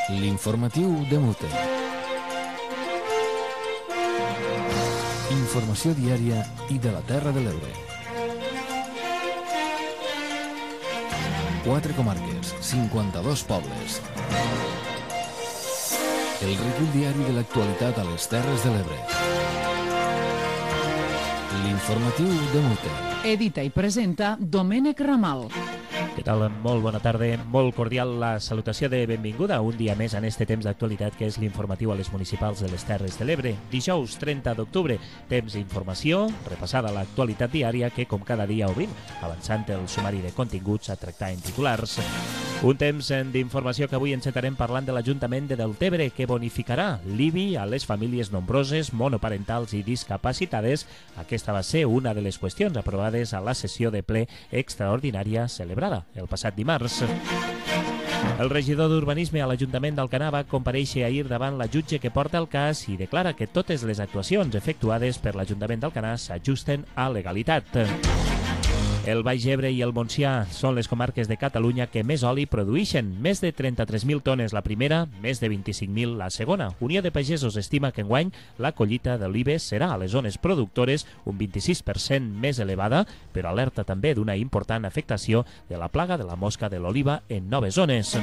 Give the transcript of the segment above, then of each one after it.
L'informatiu de Mute. Informació diària i de la Terra de l'Ebre. 4 comarques, 52 pobles. El recull diari de l'actualitat a les Terres de l'Ebre. L'informatiu de Mute. Edita i presenta Domènec Ramal. Què tal? Molt bona tarda, molt cordial la salutació de benvinguda un dia més en este temps d'actualitat que és l'informatiu a les municipals de les Terres de l'Ebre. Dijous 30 d'octubre, temps d'informació, repassada l'actualitat diària que com cada dia obrim, avançant el sumari de continguts a tractar en titulars. Un temps d'informació que avui encetarem parlant de l'Ajuntament de Deltebre que bonificarà l'IBI a les famílies nombroses, monoparentals i discapacitades. Aquesta va ser una de les qüestions aprovades a la sessió de ple extraordinària celebrada el passat dimarts. El regidor d'Urbanisme a l'Ajuntament d'Alcanar va comparèixer ahir davant la jutge que porta el cas i declara que totes les actuacions efectuades per l'Ajuntament d'Alcanar s'ajusten a legalitat. El Baix Ebre i el Montsià són les comarques de Catalunya que més oli produïxen, més de 33.000 tones la primera, més de 25.000 la segona. Unió de Pagesos estima que enguany la collita d'olives serà a les zones productores un 26% més elevada, però alerta també d'una important afectació de la plaga de la mosca de l'oliva en noves zones.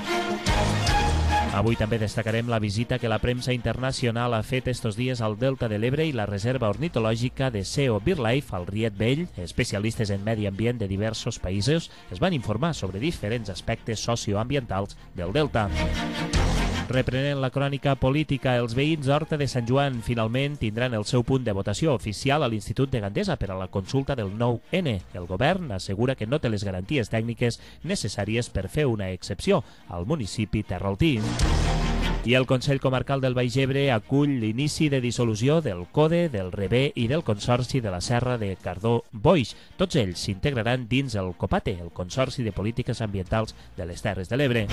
Avui també destacarem la visita que la premsa internacional ha fet estos dies al Delta de l'Ebre i la reserva ornitològica de SEO BirdLife al Riet Vell. Especialistes en medi ambient de diversos països es van informar sobre diferents aspectes socioambientals del Delta. Reprenent la crònica política, els veïns d'Horta de Sant Joan finalment tindran el seu punt de votació oficial a l'Institut de Gandesa per a la consulta del 9N. El govern assegura que no té les garanties tècniques necessàries per fer una excepció al municipi terraltí. I el Consell Comarcal del Baix Ebre acull l'inici de dissolució del CODE, del REBE i del Consorci de la Serra de Cardó-Boix. Tots ells s'integraran dins el COPATE, el Consorci de Polítiques Ambientals de les Terres de l'Ebre.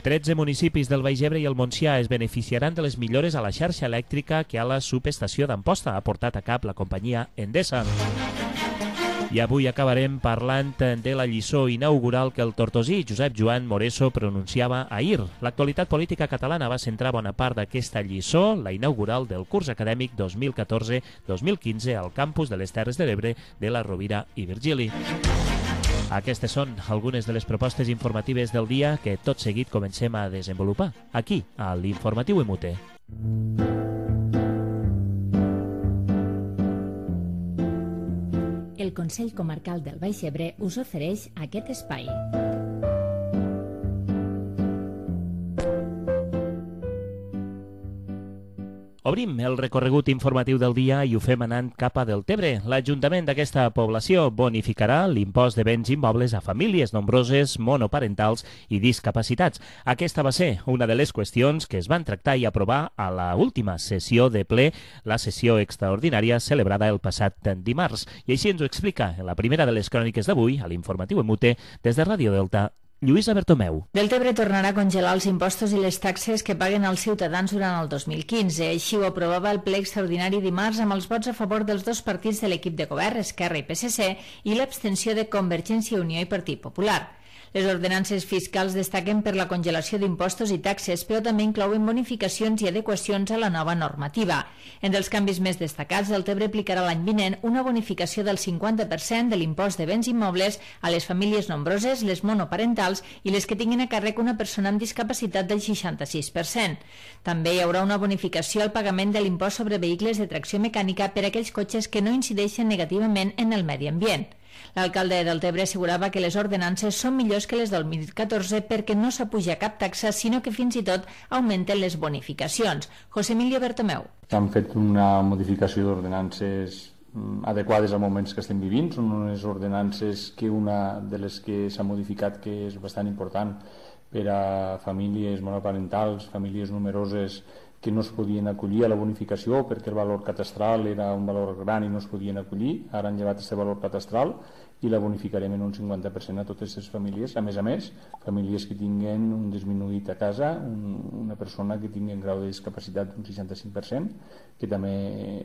13 municipis del Baix Ebre i el Montsià es beneficiaran de les millores a la xarxa elèctrica que a la subestació d'Amposta ha portat a cap la companyia Endesa. I avui acabarem parlant de la lliçó inaugural que el tortosí Josep Joan Moreso pronunciava ahir. L'actualitat política catalana va centrar bona part d'aquesta lliçó, la inaugural del curs acadèmic 2014-2015 al campus de les Terres de l'Ebre de la Rovira i Virgili. Aquestes són algunes de les propostes informatives del dia que tot seguit comencem a desenvolupar, aquí, a l'Informatiu Emute. El Consell Comarcal del Baix Ebre us ofereix aquest espai. Obrim el recorregut informatiu del dia i ho fem anant cap a Deltebre. L'Ajuntament d'aquesta població bonificarà l'impost de béns immobles a famílies nombroses, monoparentals i discapacitats. Aquesta va ser una de les qüestions que es van tractar i aprovar a la última sessió de ple, la sessió extraordinària celebrada el passat dimarts. I així ens ho explica en la primera de les cròniques d'avui, a l'Informatiu Emute, des de Ràdio Delta, Lluïsa Bertomeu. Deltebre tornarà a congelar els impostos i les taxes que paguen els ciutadans durant el 2015. Així ho aprovava el ple extraordinari dimarts amb els vots a favor dels dos partits de l'equip de govern, Esquerra i PSC, i l'abstenció de Convergència i Unió i Partit Popular. Les ordenances fiscals destaquen per la congelació d'impostos i taxes, però també inclouen bonificacions i adequacions a la nova normativa. Entre els canvis més destacats, Deltebre aplicarà l'any vinent una bonificació del 50% de l'impost de béns immobles a les famílies nombroses, les monoparentals i les que tinguin a càrrec una persona amb discapacitat del 66%. També hi haurà una bonificació al pagament de l'impost sobre vehicles de tracció mecànica per a aquells cotxes que no incideixen negativament en el medi ambient. L'alcalde de Deltebre assegurava que les ordenances són millors que les del 2014 perquè no s'apuja cap taxa, sinó que fins i tot augmenten les bonificacions. José Emilio Bertomeu. Han fet una modificació d'ordenances adequades als moments que estem vivint. Són unes ordenances que una de les que s'ha modificat que és bastant important per a famílies monoparentals, famílies numeroses que no es podien acollir a la bonificació perquè el valor catastral era un valor gran i no es podien acollir. Ara han llevat aquest valor catastral i la bonificarem en un 50% a totes les famílies. A més, famílies que tinguen un disminuït a casa, una persona que tingui un grau de discapacitat d'un 65%, que també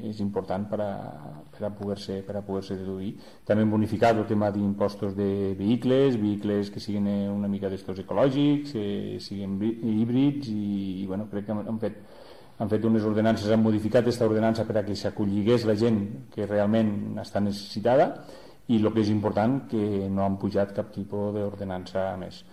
és important per a poder-se deduir. També hem bonificat el tema d'impostos de vehicles que siguin una mica d'estos ecològics, siguin híbrids i bueno, crec que han fet unes ordenances, han modificat aquesta ordenança per a que s'acolligués la gent que realment està necessitada i el que és important, que no han pujat cap tipus d'ordenança més.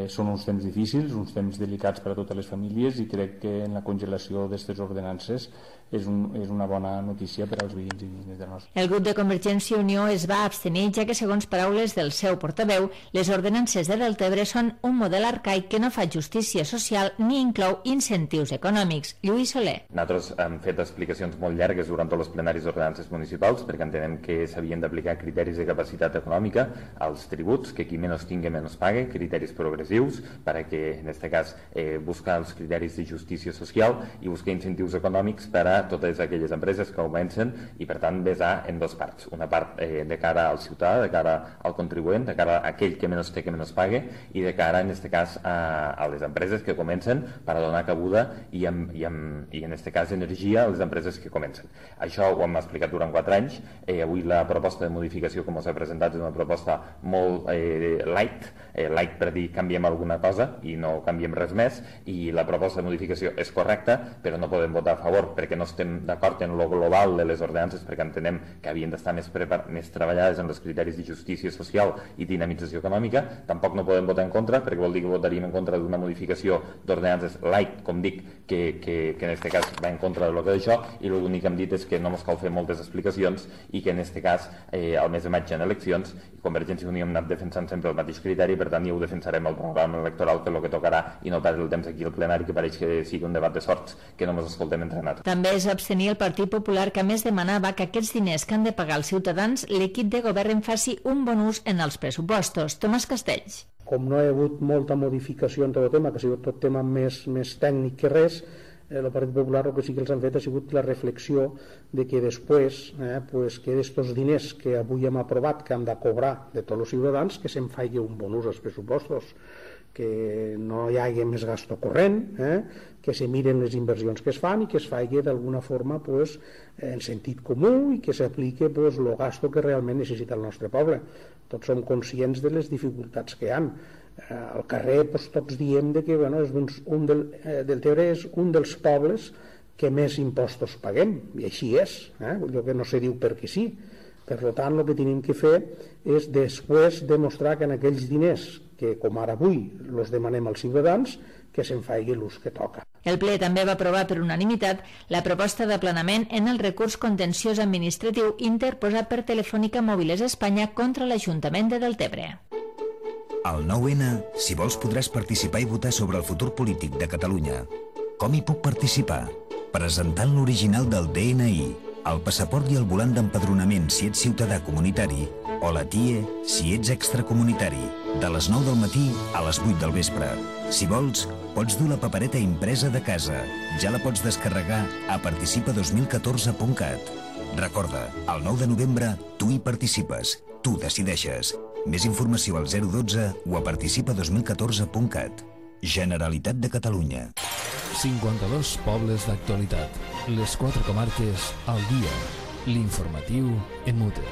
Són uns temps difícils, uns temps delicats per a totes les famílies i crec que en la congelació d'aquestes ordenances és una bona notícia per als veïns i veïnes del nostre. El grup de Convergència i Unió es va abstenir, ja que, segons paraules del seu portaveu, les ordenances de Deltebre són un model arcaic que no fa justícia social ni inclou incentius econòmics. Lluís Soler. Nosaltres hem fet explicacions molt llargues durant tots els plenaris d'ordenances municipals perquè entenem que s'havien d'aplicar criteris de capacitat econòmica als tributs, que qui menys tingui menys pague, criteris progressius, perquè en aquest cas buscar els criteris de justícia social i buscar incentius econòmics per a totes aquelles empreses que augmenten i per tant vessar en dues parts, una part de cara al ciutadà, de cara al contribuent, de cara a aquell que menys té que menys pague i de cara en aquest cas a les empreses que comencen per a donar cabuda i en aquest cas energia a les empreses que comencen. Això ho hem explicat durant 4 anys. Avui la proposta de modificació que ens ha presentat és una proposta molt light per dir canviem alguna cosa i no canviem res més, i la proposta de modificació és correcta, però no podem votar a favor perquè no estem d'acord en lo global de les ordenances, perquè entenem que havien d'estar més treballades en els criteris de justícia social i dinamització econòmica. Tampoc no podem votar en contra, perquè vol dir que votaríem en contra d'una modificació d'ordenances light, com dic, que en aquest cas va en contra de lo que d'això, i l'únic que hem dit és que no ens cal fer moltes explicacions i que en aquest cas, al mes de maig en eleccions, Convergència i Unió hem anat defensant sempre el mateix criteri, per tant ja ho defensarem al programa electoral, que és el que tocarà, i no perdre el temps aquí al plenari, que pareix que sigui un debat de sorts, que no ens escoltem entre nosaltres. També es va abstenir el Partit Popular, que a més demanava que aquests diners que han de pagar els ciutadans, l'equip de govern en faci un bon ús en els pressupostos. Tomàs Castells. Com no hi ha hagut molta modificació en tot el tema, que ha sigut tot tema més tècnic que res, el Partit Popular el que sí que els han fet ha sigut la reflexió de que després que d'estos diners que avui hem aprovat que han de cobrar de tots els ciutadans, que se'n faci un bon ús als pressupostos, que no hi hagi més gasto corrent, que se miren les inversions que es fan i que es faci d'alguna forma en sentit comú i que s'apliqui el gasto que realment necessita el nostre poble. Tots som conscients de les dificultats que hi ha. Al carrer tots diem que Deltebre és un dels pobles que més impostos paguem, i així és, allò que no se diu perquè sí. Per tant, el que tenim que fer és després demostrar que en aquells diners que, com ara avui, els demanem als ciutadans, que se'n faci l'ús que toca. El ple també va aprovar per unanimitat la proposta d'aplanament en el recurs contenciós administratiu interposat per Telefònica Mòbiles Espanya contra l'Ajuntament de Deltebre. Al 9N, si vols, podràs participar i votar sobre el futur polític de Catalunya. Com hi puc participar? Presentant l'original del DNI, el passaport i el volant d'empadronament si ets ciutadà comunitari, o la TIE si ets extracomunitari, de les 9 del matí a les 8 del vespre. Si vols, pots dur la papereta impresa de casa. Ja la pots descarregar a participa2014.cat. Recorda, el 9 de novembre tu hi participes, tu decideixes. Més informació al 012 o a participa2014.cat. Generalitat de Catalunya. 52 pobles d'actualitat. Les 4 comarques al dia. L'informatiu en mute.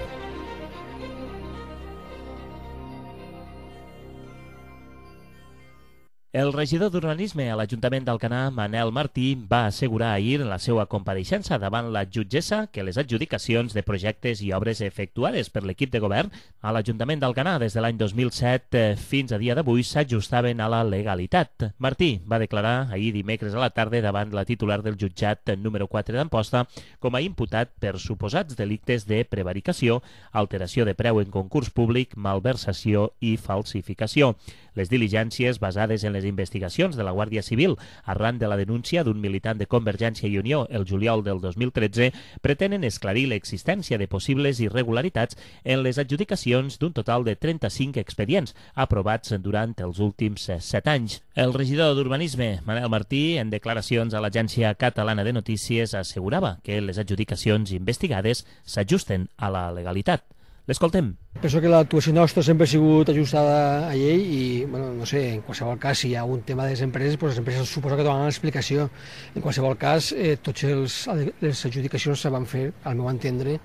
El regidor d'Urbanisme a l'Ajuntament d'Alcanar, Manel Martí, va assegurar ahir en la seva compareixença davant la jutgessa que les adjudicacions de projectes i obres efectuades per l'equip de govern a l'Ajuntament d'Alcanar des de l'any 2007 fins a dia d'avui s'ajustaven a la legalitat. Martí va declarar ahir dimecres a la tarda davant la titular del jutjat número 4 d'Amposta com a imputat per suposats delictes de prevaricació, alteració de preu en concurs públic, malversació i falsificació. Les diligències basades en les investigacions de la Guàrdia Civil arran de la denúncia d'un militant de Convergència i Unió el juliol del 2013 pretenen esclarir l'existència de possibles irregularitats en les adjudicacions d'un total de 35 expedients aprovats durant els últims 7 anys. El regidor d'Urbanisme, Manel Martí, en declaracions a l'Agència Catalana de Notícies, assegurava que les adjudicacions investigades s'ajusten a la legalitat. L'escoltem. Penso que l'actuació nostra sempre ha sigut ajustada a llei i, bueno, no sé, en qualsevol cas, si hi ha un tema de les empreses, doncs les empreses suposo que donaran l'explicació. En qualsevol cas, totes les adjudicacions se van fer, al meu entendre,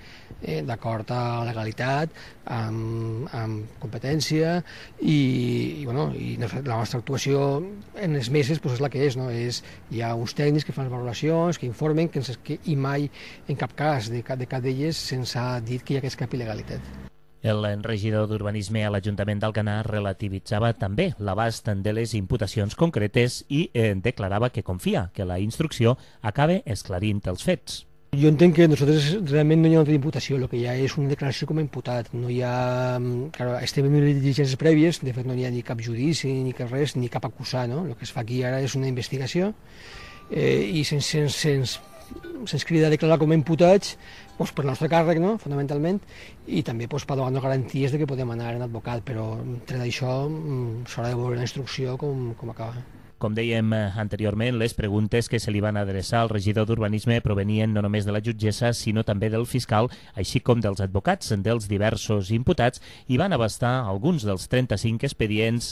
d'acord a la legalitat, amb competència i la nostra actuació en les meses és la que és, no? Hi ha uns tècnics que fan les valoracions, que informen, i mai, en cap cas de cap d'elles, se'ns ha dit que hi hagués cap il·legalitat. El regidor d'Urbanisme a l'Ajuntament d'Alcanar relativitzava també l'abast de les imputacions concretes i declarava que confia que la instrucció acabe esclarint els fets. Jo entenc que nosaltres realment no hi ha una imputació, el que hi ha és una declaració com a imputat. No hi ha... Claro, estem en unes diligències prèvies, de fet no hi ha ni cap judici, ni cap res, ni cap acusar, no? El que es fa aquí ara és una investigació i se'ns crida a declarar com a imputats per nostre càrrec, no? Fonamentalment, i també per donar-nos garanties de que podem anar en advocat, però tret d'això s'haurà de veure la instrucció com acaba. Com dèiem anteriorment, les preguntes que se li van adreçar al regidor d'Urbanisme provenien no només de la jutgessa, sinó també del fiscal, així com dels advocats dels diversos imputats, i van abastar alguns dels 35 expedients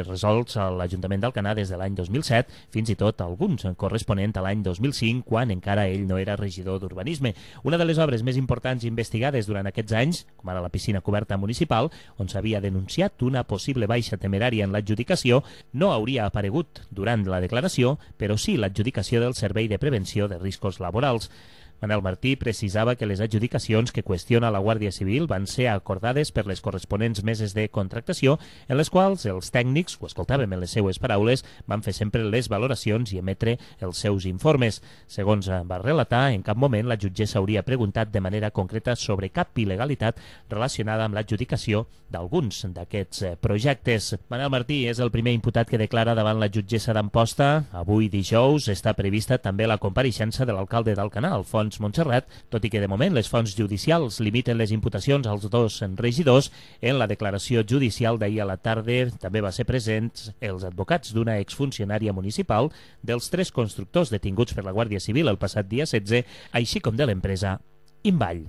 resolts a l'Ajuntament d'Alcanar des de l'any 2007, fins i tot alguns corresponent a l'any 2005, quan encara ell no era regidor d'Urbanisme. Una de les obres més importants investigades durant aquests anys, com ara la piscina coberta municipal, on s'havia denunciat una possible baixa temerària en l'adjudicació, no hauria aparegut durant la declaració, però sí l'adjudicació del Servei de Prevenció de Riscos Laborals. Manel Martí precisava que les adjudicacions que qüestiona la Guàrdia Civil van ser acordades per les corresponents meses de contractació, en les quals els tècnics, ho escoltàvem en les seues paraules, van fer sempre les valoracions i emetre els seus informes. Segons va relatar, en cap moment la jutgessa hauria preguntat de manera concreta sobre cap il·legalitat relacionada amb l'adjudicació d'alguns d'aquests projectes. Manel Martí és el primer imputat que declara davant la jutgessa d'Amposta. Avui, dijous, està prevista també la compareixença de l'alcalde d'Alcanar, Alfons Montserrat, tot i que de moment les fonts judicials limiten les imputacions als dos regidors. En la declaració judicial d'ahir a la tarda també va ser presents els advocats d'una exfuncionària municipal, dels 3 constructors detinguts per la Guàrdia Civil el passat dia 16, així com de l'empresa Invall.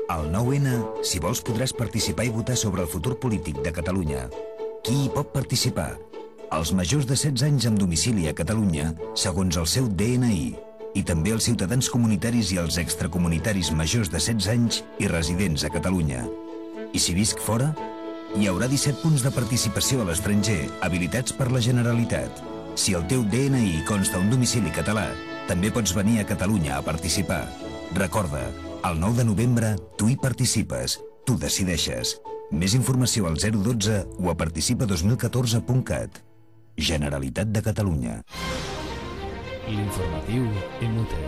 Al 9N, si vols, podràs participar i votar sobre el futur polític de Catalunya. Qui hi pot participar? Els majors de 16 anys amb domicili a Catalunya, segons el seu DNI, i també els ciutadans comunitaris i els extracomunitaris majors de 16 anys i residents a Catalunya. I si visc fora? Hi haurà 17 punts de participació a l'estranger, habilitats per la Generalitat. Si el teu DNI consta un domicili català, també pots venir a Catalunya a participar. Recorda, el 9 de novembre tu hi participes, tu decideixes. Més informació al 012 o a participa2014.cat. Generalitat de Catalunya. L'informatiu Emute.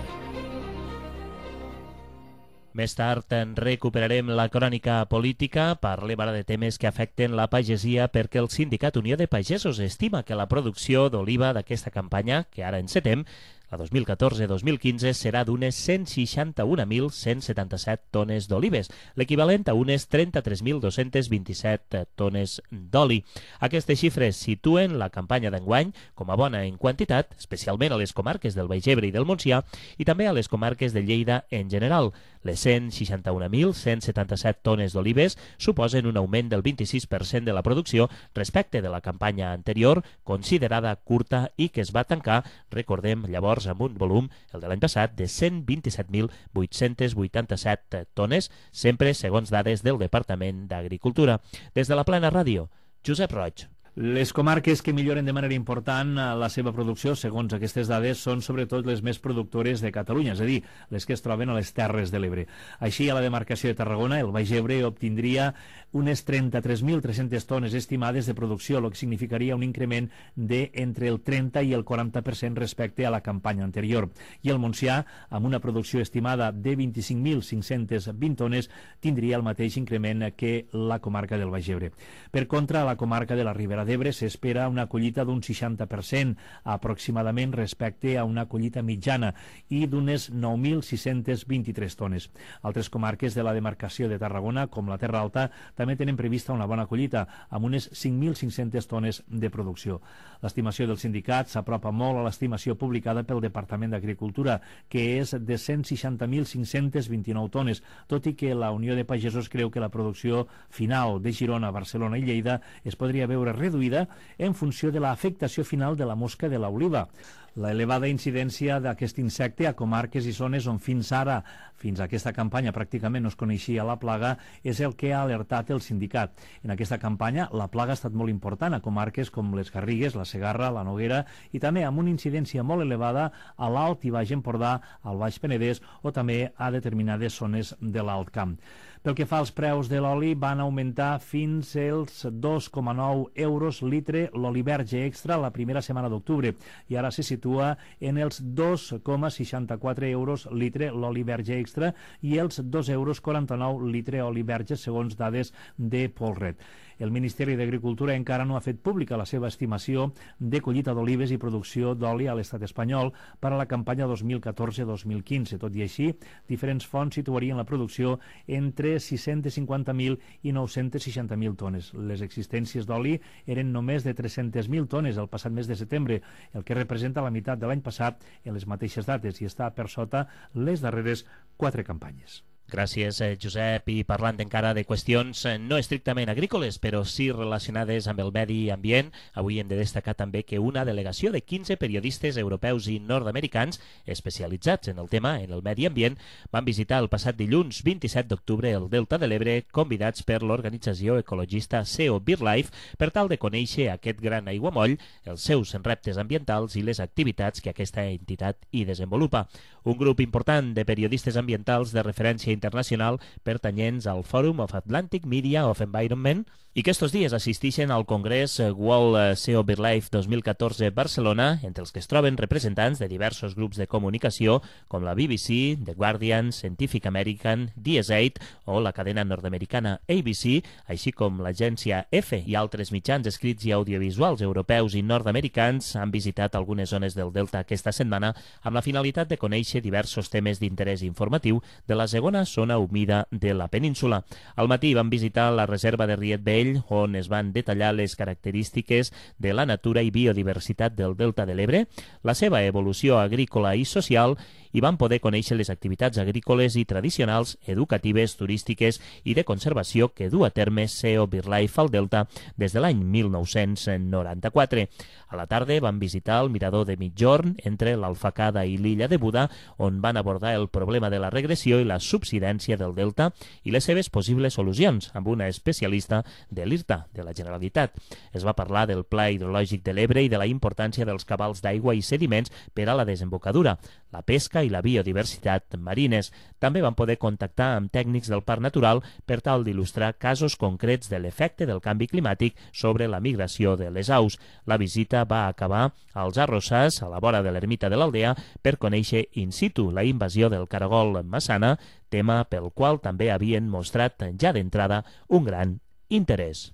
Més tard en recuperarem la crònica política. Parlem ara de temes que afecten la pagesia, perquè el Sindicat Unió de Pagesos estima que la producció d'oliva d'aquesta campanya, que ara encetem, la 2014-2015, serà d'unes 161.177 tones d'olives, l'equivalent a unes 33.227 tones d'oli. Aquestes xifres situen la campanya d'enguany com a bona en quantitat, especialment a les comarques del Baix Ebre i del Montsià, i també a les comarques de Lleida en general. Les 161.177 tones d'olives suposen un augment del 26% de la producció respecte de la campanya anterior, considerada curta i que es va tancar, recordem, llavors amb un volum, el de l'any passat, de 127.887 tones, sempre segons dades del Departament d'Agricultura. Des de la Plana Ràdio, Josep Roig. Les comarques que milloren de manera important la seva producció, segons aquestes dades, són sobretot les més productores de Catalunya, és a dir, les que es troben a les Terres de l'Ebre. Així, a la demarcació de Tarragona, el Baix Ebre obtindria unes 33.300 tones estimades de producció, el que significaria un increment d'entre el 30 i el 40% respecte a la campanya anterior. I el Montsià, amb una producció estimada de 25.520 tones, tindria el mateix increment que la comarca del Baix Ebre. Per contra, a la comarca de la Ribera Terra d'Ebre s'espera una collita d'un 60% aproximadament respecte a una collita mitjana i d'unes 9.623 tones. Altres comarques de la demarcació de Tarragona, com la Terra Alta, també tenen prevista una bona collita, amb unes 5.500 tones de producció. L'estimació del sindicat s'apropa molt a l'estimació publicada pel Departament d'Agricultura, que és de 160.529 tones, tot i que la Unió de Pagesos creu que la producció final de Girona, Barcelona i Lleida es podria veure reduïda en funció de l'afectació final de la mosca de l'oliva. La elevada incidència d'aquest insecte a comarques i zones on fins ara, fins a aquesta campanya, pràcticament no es coneixia la plaga, és el que ha alertat el sindicat. En aquesta campanya la plaga ha estat molt important a comarques com les Garrigues, la Segarra, la Noguera i també amb una incidència molt elevada a l'Alt i Baix Empordà, al Baix Penedès o també a determinades zones de l'Alt Camp. Pel que fa als preus de l'oli, van augmentar fins als 2,9 euros litre l'oli verge extra la primera setmana d'octubre i ara se situa en els 2,64 euros litre l'oli verge extra i els 2,49 euros litre oli verge segons dades de Polred. El Ministeri d'Agricultura encara no ha fet pública la seva estimació de collita d'olives i producció d'oli a l'estat espanyol per a la campanya 2014-2015. Tot i així, diferents fonts situarien la producció entre 650.000 i 960.000 tones. Les existències d'oli eren només de 300.000 tones el passat mes de setembre, el que representa la meitat de l'any passat en les mateixes dates i està per sota les darreres 4 campanyes. Gràcies, Josep. I parlant encara de qüestions no estrictament agrícoles, però sí relacionades amb el medi ambient, avui hem de destacar també que una delegació de 15 periodistes europeus i nord-americans especialitzats en el tema, en el medi ambient, van visitar el passat dilluns 27 d'octubre el Delta de l'Ebre, convidats per l'organització ecologista SEO BirdLife per tal de conèixer aquest gran aiguamoll, els seus reptes ambientals i les activitats que aquesta entitat hi desenvolupa. Un grup important de periodistes ambientals de referència internacional pertanyents al Forum of Atlantic Media of Environment i que estos dies assisteixen al Congrés World SEO BirdLife 2014 Barcelona, entre els que es troben representants de diversos grups de comunicació com la BBC, The Guardian, Scientific American, DS8 o la cadena nord-americana ABC, així com l'agència EFE i altres mitjans escrits i audiovisuals europeus i nord-americans han visitat algunes zones del Delta aquesta setmana amb la finalitat de conèixer diversos temes d'interès informatiu de la segona zona humida de la península. Al matí van visitar la reserva de Riet Vell, on es van detallar les característiques de la natura i biodiversitat del Delta de l'Ebre, la seva evolució agrícola i social, i van poder conèixer les activitats agrícoles i tradicionals, educatives, turístiques i de conservació que du a terme SEO BirdLife al Delta des de l'any 1994. A la tarda van visitar el mirador de Migjorn entre l'Alfacada i l'illa de Buda, on van abordar el problema de la regressió i la subsidència del Delta i les seves possibles solucions, amb una especialista de l'IRTA, de la Generalitat. Es va parlar del Pla Hidrològic de l'Ebre i de la importància dels cabals d'aigua i sediments per a la desembocadura, la pesca i la biodiversitat marines. També van poder contactar amb tècnics del Parc Natural per tal d'il·lustrar casos concrets de l'efecte del canvi climàtic sobre la migració de les aus. La visita va acabar als Arrossars, a la vora de l'ermita de l'Aldea, per conèixer in situ la invasió del caragol massana, tema pel qual també havien mostrat ja d'entrada un gran interès.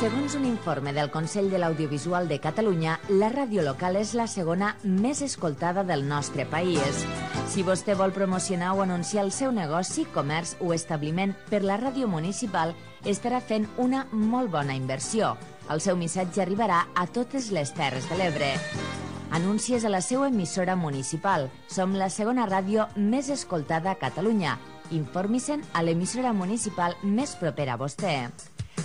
Segons un informe del Consell de l'Audiovisual de Catalunya, la ràdio local és la segona més escoltada del nostre país. Si vostè vol promocionar o anunciar el seu negoci, comerç o establiment per la ràdio municipal, estarà fent una molt bona inversió. El seu missatge arribarà a totes les Terres de l'Ebre. Anuncies a la seva emissora municipal. Som la segona ràdio més escoltada a Catalunya. Informi-se'n a l'emissora municipal més propera a vostè.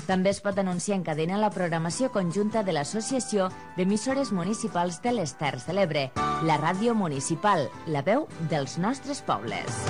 També es pot anunciar en cadena la programació conjunta de l'Associació d'Emissores Municipals de les Terres de l'Ebre, la ràdio municipal, la veu dels nostres pobles.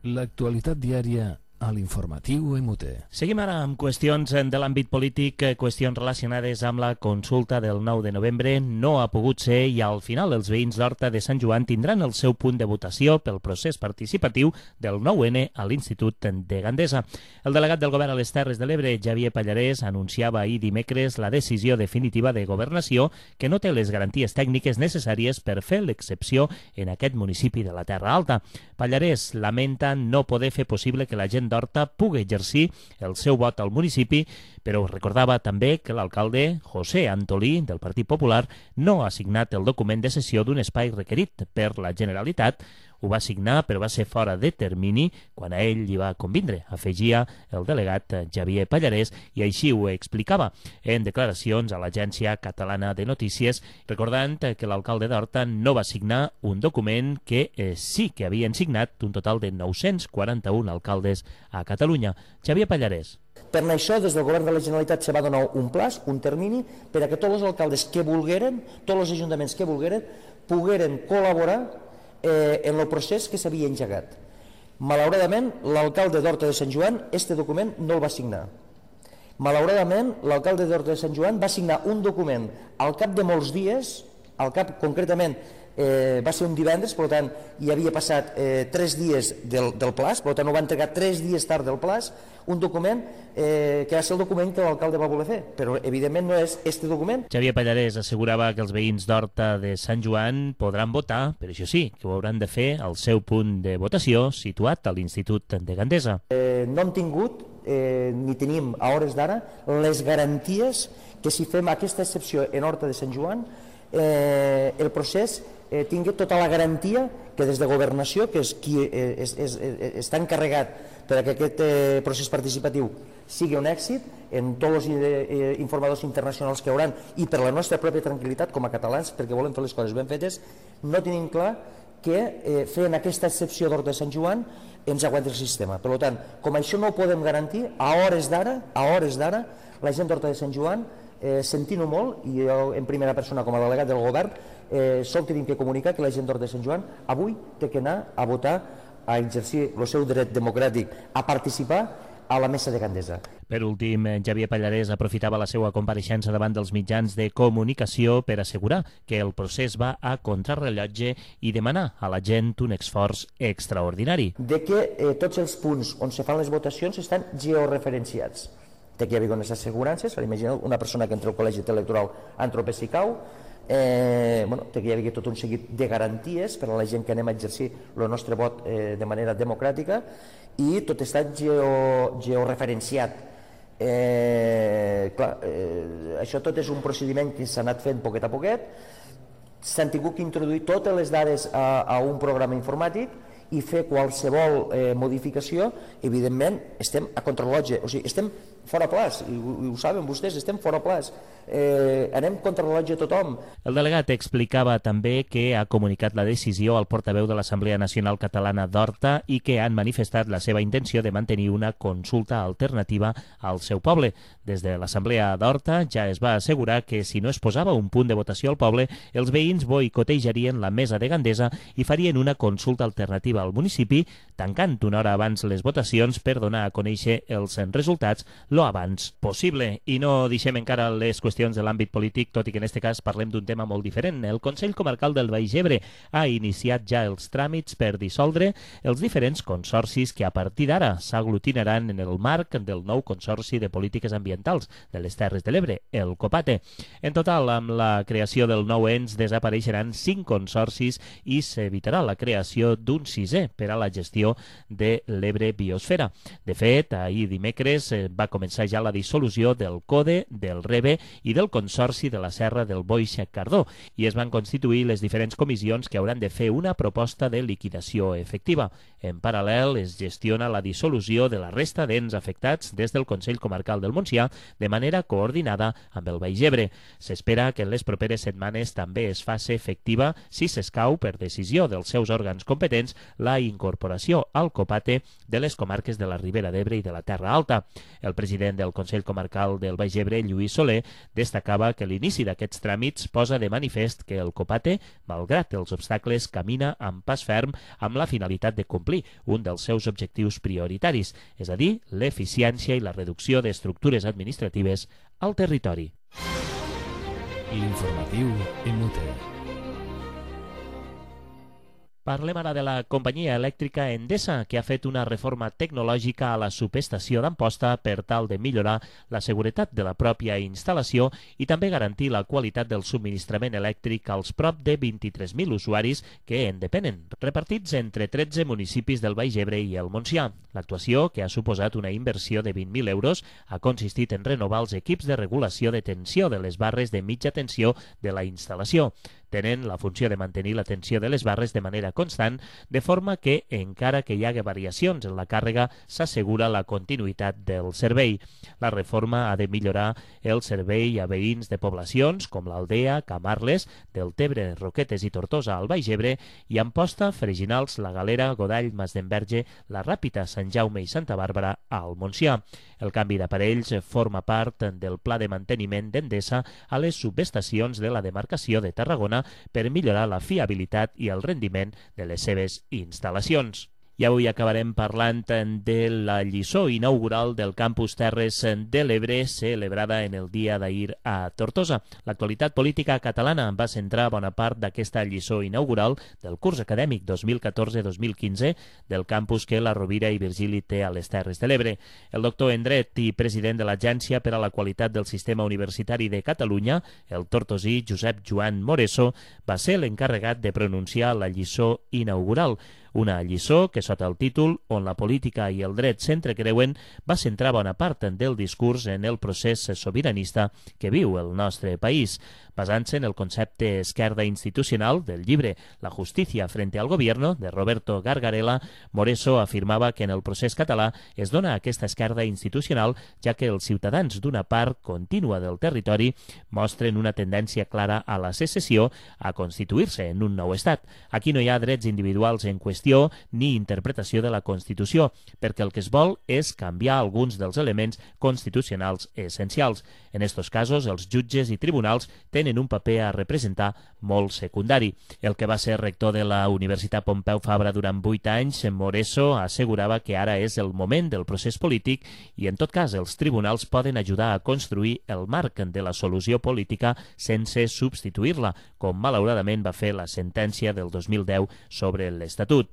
L'actualitat diària a l'informatiu EMUT. Seguim ara amb qüestions de l'àmbit polític, qüestions relacionades amb la consulta del 9 de novembre. No ha pogut ser i al final els veïns d'Horta de Sant Joan tindran el seu punt de votació pel procés participatiu del 9N a l'Institut de Gandesa. El delegat del govern a les Terres de l'Ebre, Xavier Pallarès, anunciava ahir dimecres la decisió definitiva de governació que no té les garanties tècniques necessàries per fer l'excepció en aquest municipi de la Terra Alta. Pallarès lamenta no poder fer possible que la gent d'Horta pugui exercir el seu vot al municipi, però recordava també que l'alcalde José Antolí, del Partit Popular, no ha signat el document de cessió d'un espai requerit per la Generalitat. Ho va signar, però va ser fora de termini quan a ell li va convindre, afegia el delegat Xavier Pallarès, i així ho explicava en declaracions a l'Agència Catalana de Notícies, recordant que l'alcalde d'Horta no va signar un document que sí que havien signat un total de 941 alcaldes a Catalunya. Xavier Pallarès. Per això, des del govern de la Generalitat se va donar un plaç, un termini, per a que tots els alcaldes que volgueren, tots els ajuntaments que volgueren, pogueren col·laborar en el procés que s'havia engegat. Malauradament, l'alcalde d'Horta de Sant Joan este document no el va signar. Malauradament, l'alcalde d'Horta de Sant Joan va signar un document al cap de molts dies, concretament va ser un divendres, per tant hi havia passat 3 dies del plaç, per tant ho va entregar 3 dies tard del plaç, un document que va ser el document que l'alcalde va voler fer, però evidentment no és este document. Xavier Pallarès assegurava que els veïns d'Horta de Sant Joan podran votar, però això sí, que ho hauran de fer al seu punt de votació situat a l'Institut de Gandesa. No hem tingut ni tenim a hores d'ara les garanties que si fem aquesta excepció en Horta de Sant Joan el procés tingui tota la garantia que des de Governació, que és qui està encarregat per que aquest procés participatiu sigui un èxit en tots els informadors internacionals que hi haurà i per la nostra pròpia tranquil·litat com a catalans, perquè volem fer les coses ben fetes, no tenim clar que fent aquesta excepció d'Horta de Sant Joan ens aguanti el sistema. Per tant, com això no ho podem garantir, a hores d'ara, la gent d'Horta de Sant Joan, sentint-ho molt, i jo en primera persona com a delegat del govern, sol que tinc que comunicar que la gent d'Horta de Sant Joan avui té que anar a votar, a exercir el seu dret democràtic, a participar a la mesa de Gandesa. Per últim, Xavier Pallarès aprofitava la seva compareixença davant dels mitjans de comunicació per assegurar que el procés va a contrarrellotge i demanar a la gent un esforç extraordinari. De que tots els punts on se fan les votacions estan georreferenciats. Té que hi haver unes assegurances, per imaginar una persona que entra al col·legi electoral Antropes i Cau, té que hi haver tot un seguit de garanties per a la gent que anem a exercir el nostre vot de manera democràtica i tot està georreferenciat. Això tot és un procediment que s'ha anat fent poquet a poquet, s'han tingut que introduir totes les dades a un programa informàtic i fer qualsevol modificació, evidentment estem a contrarrellotge, o sigui, estem fora plaç, i ho saben vostès, estem fora plaç, anem contrarrellotge a tothom. El delegat explicava també que ha comunicat la decisió al portaveu de l'Assemblea Nacional Catalana d'Horta i que han manifestat la seva intenció de mantenir una consulta alternativa al seu poble. Des de l'Assemblea d'Horta ja es va assegurar que si no es posava un punt de votació al poble, els veïns boicotejarien la mesa de Gandesa i farien una consulta alternativa al municipi, tancant una hora abans les votacions per donar a conèixer els resultats lo abans possible. I no deixem encara les qüestions de l'àmbit polític, tot i que en aquest cas parlem d'un tema molt diferent. El Consell Comarcal del Baix Ebre ha iniciat ja els tràmits per dissoldre els diferents consorcis que a partir d'ara s'aglutinaran en el marc del nou Consorci de Polítiques Ambientals de les Terres de l'Ebre, el COPATE. En total, amb la creació del nou ens desapareixeran 5 consorcis i s'evitarà la creació d'un 6è per a la gestió de l'Ebre Biosfera. De fet, ahir dimecres va començar ja la dissolució del CODE, del REBE i del Consorci de la Serra del Boix Cardó, i es van constituir les diferents comissions que hauran de fer una proposta de liquidació efectiva. En paral·lel, es gestiona la dissolució de la resta d'ens afectats des del Consell Comarcal del Montsià de manera coordinada amb el Baix Ebre. S'espera que en les properes setmanes també es faci efectiva, si s'escau per decisió dels seus òrgans competents, la incorporació al COPATE de les comarques de la Ribera d'Ebre i de la Terra Alta. El president del Consell Comarcal del Baix Ebre, Lluís Soler, destacava que l'inici d'aquests tràmits posa de manifest que el COPATE, malgrat els obstacles, camina amb pas ferm amb la finalitat de complir un dels seus objectius prioritaris, és a dir, l'eficiència i la reducció d'estructures administratives al territori. L'informatiu Inútil. Parlem ara de la companyia elèctrica Endesa, que ha fet una reforma tecnològica a la subestació d'Amposta per tal de millorar la seguretat de la pròpia instal·lació i també garantir la qualitat del subministrament elèctric als prop de 23.000 usuaris que en depenen, repartits entre 13 municipis del Baix Ebre i el Montsià. L'actuació, que ha suposat una inversió de 20.000 euros, ha consistit en renovar els equips de regulació de tensió de les barres de mitja tensió de la instal·lació. Tenen la funció de mantenir la tensió de les barres de manera constant, de forma que, encara que hi hagi variacions en la càrrega, s'assegura la continuïtat del servei. La reforma ha de millorar el servei a veïns de poblacions com l'Aldea, Camarles, Deltebre, Roquetes i Tortosa al Baix Ebre i Amposta, Freginals, La Galera, Godall, Masdenverge, La Ràpita, Sant Jaume i Santa Bàrbara al Montsià. El canvi d'aparells forma part del pla de manteniment d'Endesa a les subestacions de la demarcació de Tarragona per millorar la fiabilitat i el rendiment de les seves instal·lacions. I avui acabarem parlant de la lliçó inaugural del Campus Terres de l'Ebre, celebrada en el dia d'ahir a Tortosa. L'actualitat política catalana va centrar bona part d'aquesta lliçó inaugural del curs acadèmic 2014-2015 del campus que la Rovira i Virgili té a les Terres de l'Ebre. El doctor en Dret i president de l'Agència per a la Qualitat del Sistema Universitari de Catalunya, el tortosí Josep Joan Moreso, va ser l'encarregat de pronunciar la lliçó inaugural. Una lliçó que, sota el títol On la política i el dret s'entrecreuen, va centrar bona part del discurs en el procés sobiranista que viu el nostre país. Basant-se en el concepte esquerda institucional del llibre La justícia frente al gobierno, de Roberto Gargarella, Moreso afirmava que en el procés català es dona aquesta esquerda institucional, ja que els ciutadans d'una part contínua del territori mostren una tendència clara a la secessió, a constituir-se en un nou estat. Aquí no hi ha drets individuals en qüestió ni interpretació de la Constitució, perquè el que es vol és canviar alguns dels elements constitucionals essencials. En estos casos, els jutges i tribunals tenen un paper a representar molt secundari. El que va ser rector de la Universitat Pompeu Fabra durant 8 anys, Moreso assegurava que ara és el moment del procés polític i, en tot cas, els tribunals poden ajudar a construir el marc de la solució política sense substituir-la, com malauradament va fer la sentència del 2010 sobre l'Estatut.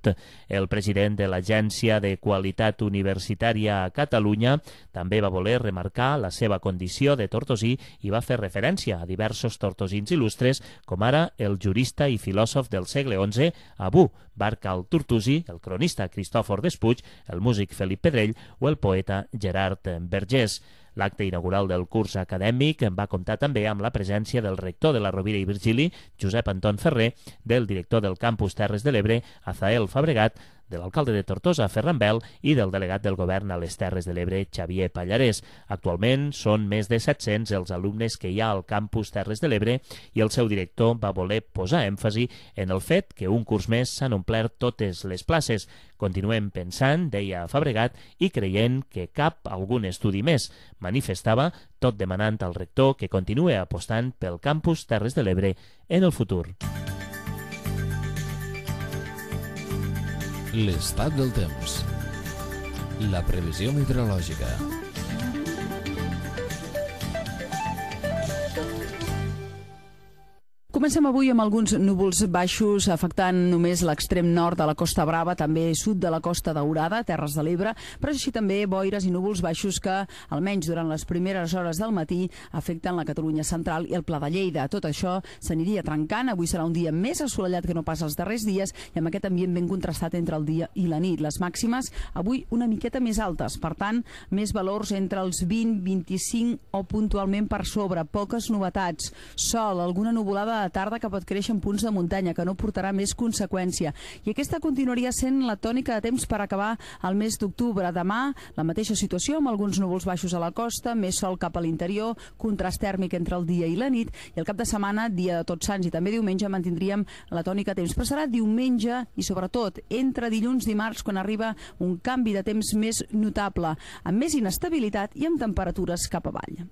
El president de l'Agència de Qualitat Universitària a Catalunya també va voler remarcar la seva condició de tortosí i va fer referència a diversos tortosins il·lustres, com ara el jurista i filòsof del segle XI, Abu Bakr al-Tortosi, el cronista Cristòfor Despuig, el músic Felip Pedrell o el poeta Gerard Vergés. L'acte inaugural del curs acadèmic va comptar també amb la presència del rector de la Rovira i Virgili, Josep Anton Ferrer, del director del Campus Terres de l'Ebre, Azael Fabregat, de l'alcalde de Tortosa, Ferran Bel, i del delegat del govern a les Terres de l'Ebre, Xavier Pallarès. Actualment són més de 700 els alumnes que hi ha al Campus Terres de l'Ebre i el seu director va voler posar èmfasi en el fet que un curs més s'han omplert totes les places. Continuem pensant, deia Fabregat, i creient que cap algun estudi més. Manifestava, tot demanant al rector que continue apostant pel Campus Terres de l'Ebre en el futur. L'estat del temps. La previsió meteorològica. Comencem avui amb alguns núvols baixos afectant només l'extrem nord de la Costa Brava, també sud de la Costa Daurada, Terres de l'Ebre, però així també boires i núvols baixos que, almenys durant les primeres hores del matí, afecten la Catalunya central i el Pla de Lleida. Tot això s'aniria trencant. Avui serà un dia més assolellat que no pas els darrers dies i amb aquest ambient ben contrastat entre el dia i la nit. Les màximes avui una miqueta més altes, per tant, més valors entre els 20, 25 o puntualment per sobre. Poques novetats. Sol, alguna nuvolada la tarda que pot créixer en punts de muntanya, que no portarà més conseqüència. I aquesta continuaria sent la tònica de temps per acabar el mes d'octubre. Demà, la mateixa situació, amb alguns núvols baixos a la costa, més sol cap a l'interior, contrast tèrmic entre el dia i la nit, i el cap de setmana, dia de Tots Sants i també diumenge, mantindríem la tònica de temps. Però serà diumenge i, sobretot, entre dilluns i dimarts, quan arriba un canvi de temps més notable, amb més inestabilitat i amb temperatures cap avall.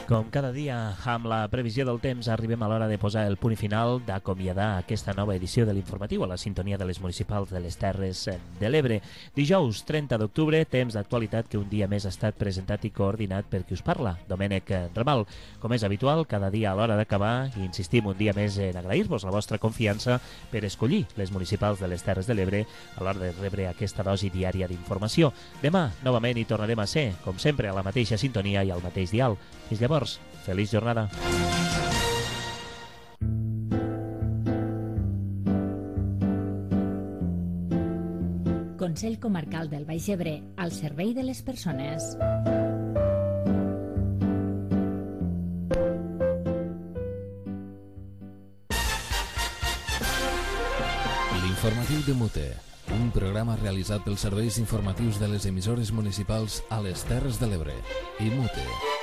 Com cada dia, amb la previsió del temps, arribem a l'hora de posar el punt final, d'acomiadar aquesta nova edició de l'informatiu a la sintonia de les municipals de les Terres de l'Ebre. Dijous 30 d'octubre, temps d'actualitat que un dia més ha estat presentat i coordinat per qui us parla, Domènec Ramal. Com és habitual, cada dia a l'hora d'acabar, i insistim un dia més en agrair-vos la vostra confiança per escollir les municipals de les Terres de l'Ebre a l'hora de rebre aquesta dosi diària d'informació. Demà, novament, hi tornarem a ser, com sempre, a la mateixa sintonia i al mateix dial. Fins llavors, feliç jornada. Consell Comarcal del Baix Ebre, al servei de les persones. L'informatiu de Mute, un programa realitzat pels serveis informatius de les emissores municipals a les Terres de l'Ebre i Mute.